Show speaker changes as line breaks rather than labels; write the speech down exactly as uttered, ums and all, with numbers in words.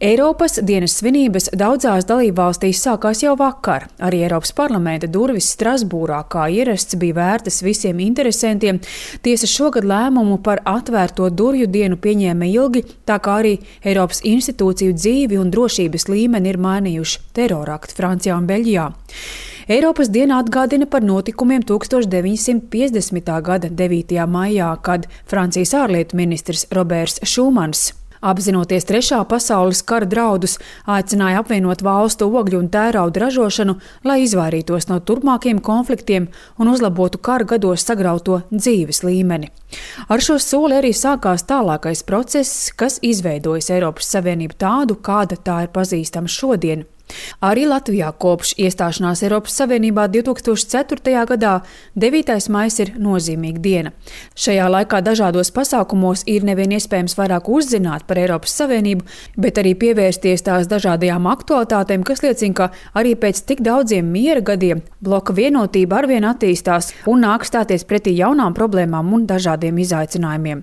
Eiropas dienas svinības daudzās dalībvalstīs sākās jau vakar. Arī Eiropas parlamenta durvis Strasbūrā, kā ierasts, bija vērtas visiem interesantiem. Tiesa šogad lēmumu par atvērto durvju dienu pieņēma ilgi, tā kā arī Eiropas institūciju dzīvi un drošības līmeni ir mainījuši terorakti Francijā un Beļģijā. Eiropas diena atgādina par notikumiem tuksstoš deviņsimt piecdesmitā gada devītajā maijā, kad Francijas ārlietu ministrs Roberts Šumans, apzinoties Trešā pasaules kara draudus, aicināja apvienot valstu ogļu un tērauda ražošanu, lai izvairītos no turpmākiem konfliktiem un uzlabotu kara gados sagrauto dzīves līmeni. Ar šo soli arī sākās tālākais process, kas izveidojas Eiropas Savienību tādu, kāda tā ir pazīstama šodien. Arī Latvijā kopš iestāšanās Eiropas Savienībā divtūkstoš ceturtajā gadā devītais maijs ir nozīmīga diena. Šajā laikā dažādos pasākumos ir nevien iespējams vairāk uzzināt par Eiropas Savienību, bet arī pievērsties tās dažādajām aktualitātēm, kas liecina, ka arī pēc tik daudziem miera gadiem bloka vienotība arvien attīstās un nāk stāties pretī jaunām problēmām un dažādiem izaicinājumiem.